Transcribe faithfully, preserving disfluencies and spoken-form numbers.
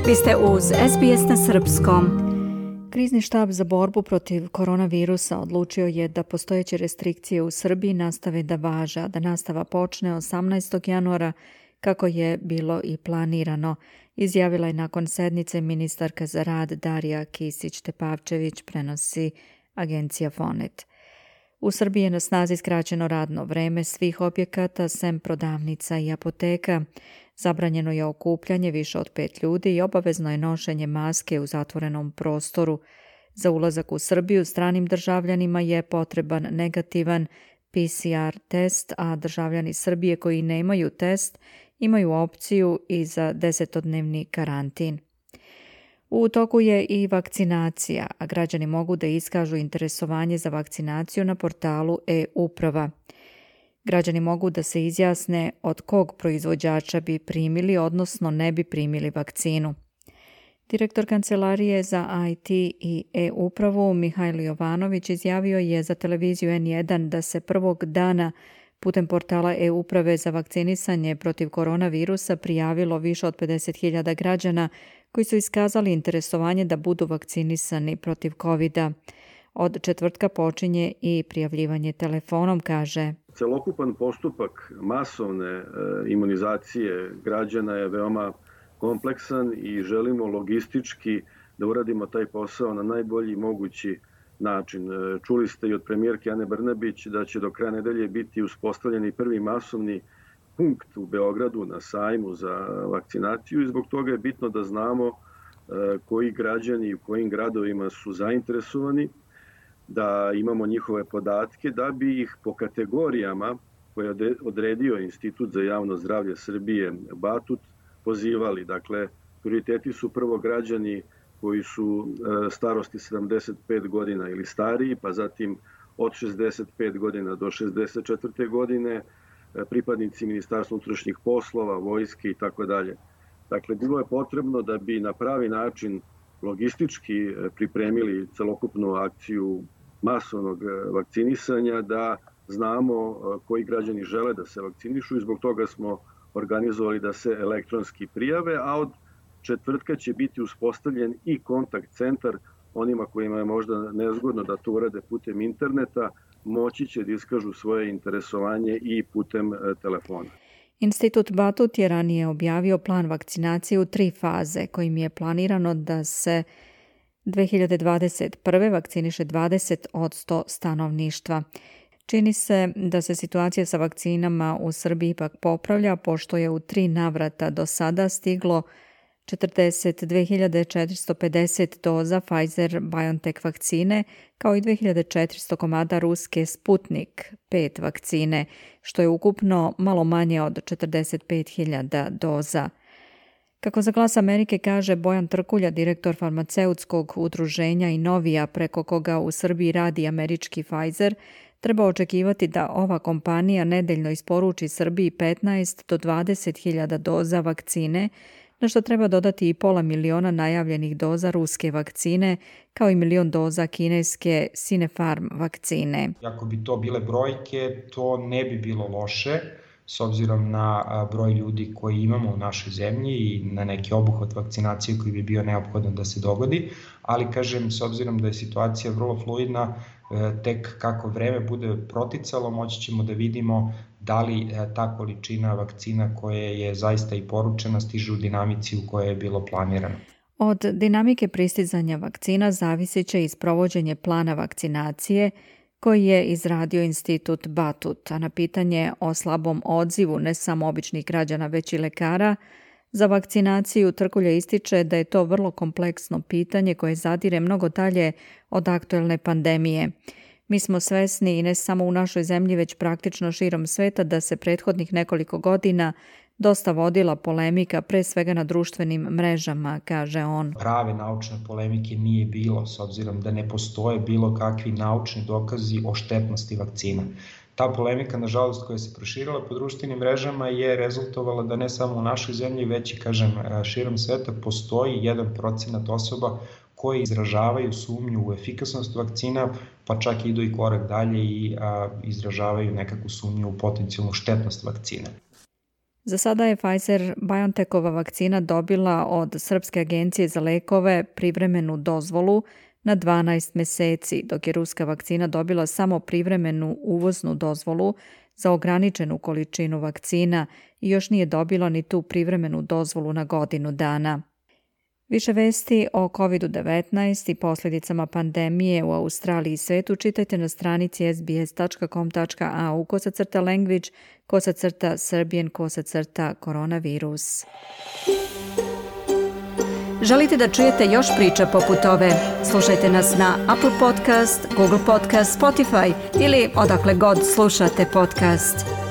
Vi ste uz S B S na srpskom. Krizni štab za borbu protiv koronavirusa odlučio je da postojeće restrikcije u Srbiji nastave da važe, a da nastava počne osamnaestog januara kako je bilo i planirano, izjavila je nakon sednice ministarka za rad Darija Kisić-Tepavčević, prenosi agencija Fonet. U Srbiji je na snazi skraćeno radno vreme svih objekata, sem prodavnica i apoteka. Zabranjeno je okupljanje više od pet ljudi i obavezno je nošenje maske u zatvorenom prostoru. Za ulazak u Srbiju stranim državljanima je potreban negativan P C R test, a državljani Srbije koji nemaju test imaju opciju i za desetodnevni karantin. U toku je i vakcinacija, a građani mogu da iskažu interesovanje za vakcinaciju na portalu e-uprava. Građani mogu da se izjasne od kog proizvođača bi primili, odnosno ne bi primili vakcinu. Direktor Kancelarije za I T i e-upravu Mihajlo Jovanović izjavio je za televiziju N jedan da se prvog dana putem portala e-uprave za vakcinisanje protiv koronavirusa prijavilo više od pedeset hiljada građana koji su iskazali interesovanje da budu vakcinisani protiv kovida. Od četvrtka počinje i prijavljivanje telefonom, kaže. Celokupan postupak masovne e, imunizacije građana je veoma kompleksan i želimo logistički da uradimo taj posao na najbolji mogući način. E, čuli ste i od premijerke Ane Brnabić da će do kraja nedelje biti uspostavljeni prvi masovni punkt u Beogradu na sajmu za vakcinaciju i zbog toga je bitno da znamo e, koji građani u kojim gradovima su zainteresovani, da imamo njihove podatke, da bi ih po kategorijama koje je odredio Institut za javno zdravlje Srbije Batut pozivali. Dakle, prioriteti su prvo građani koji su starosti sedamdeset pet godina ili stariji, pa zatim od šezdeset pet godina do šezdeset četvrte godine, pripadnici Ministarstva unutrašnjih poslova, vojske i tako dalje. Dakle, bilo je potrebno da bi na pravi način logistički pripremili celokupnu akciju masovnog vakcinisanja, da znamo koji građani žele da se vakcinišu i zbog toga smo organizovali da se elektronski prijave, a od četvrtka će biti uspostavljen i kontakt centar onima kojima je možda nezgodno da to urade putem interneta, moći će da iskažu svoje interesovanje i putem telefona. Institut Batut je ranije objavio plan vakcinacije u tri faze, kojim je planirano da se dve hiljade dvadeset prve vakciniše dvadeset posto stanovništva. Čini se da se situacija sa vakcinama u Srbiji ipak popravlja, pošto je u tri navrata do sada stiglo četrdeset dve hiljade četiristo pedeset doza Pfizer-BioNTech vakcine, kao i dve hiljade četiristo komada ruske Sputnik pet vakcine, što je ukupno malo manje od četrdeset pet hiljada doza. Kako za Glas Amerike kaže Bojan Trkulja, direktor farmaceutskog udruženja Inovija, preko koga u Srbiji radi američki Pfizer, treba očekivati da ova kompanija nedeljno isporuči Srbiji petnaest do dvadeset hiljada doza vakcine, na što treba dodati i pola miliona najavljenih doza ruske vakcine, kao i milion doza kineske Sinopharm vakcine. Ako bi to bile brojke, to ne bi bilo loše, s obzirom na broj ljudi koji imamo u našoj zemlji i na neki obuhvat vakcinacije koji bi bio neophodno da se dogodi, ali kažem, s obzirom da je situacija vrlo fluidna, tek kako vreme bude proticalo, moći ćemo da vidimo da li ta količina vakcina koja je zaista i poručena stiže u dinamici u kojoj je bilo planirano. Od dinamike pristizanja vakcina zavisit će i sprovođenje plana vakcinacije koji je izradio Institut Batut, a na pitanje o slabom odzivu ne samo običnih građana već i lekara za vakcinaciju Trkulja ističe da je to vrlo kompleksno pitanje koje zadire mnogo dalje od aktuelne pandemije. Mi smo svesni i ne samo u našoj zemlji već praktično širom sveta da se prethodnih nekoliko godina dosta vodila polemika, pre svega na društvenim mrežama, kaže on. Prave naučne polemike nije bilo, s obzirom da ne postoje bilo kakvi naučni dokazi o štetnosti vakcina. Ta polemika, nažalost, koja se proširila po društvenim mrežama je rezultovala da ne samo u našoj zemlji, već i, kažem, širom sveta postoji jedan procenat osoba koji izražavaju sumnju u efikasnost vakcina, pa čak idu i korak dalje i a, izražavaju nekakvu sumnju u potencijalnu štetnost vakcine. Za sada je Pfizer-BioNTechova vakcina dobila od Srpske agencije za lekove privremenu dozvolu na dvanaest meseci, dok je ruska vakcina dobila samo privremenu uvoznu dozvolu za ograničenu količinu vakcina i još nije dobila ni tu privremenu dozvolu na godinu dana. Više vesti o kovid devetnaest i posljedicama pandemije u Australiji i svetu čitajte na stranici sbs.com.au kosacrta language kosacrta serbian kosacrta koronavirus. Želite da čujete još priča poput ove? Slušajte nas na Apple Podcast, Google Podcast, Spotify ili odakle god slušate podcast.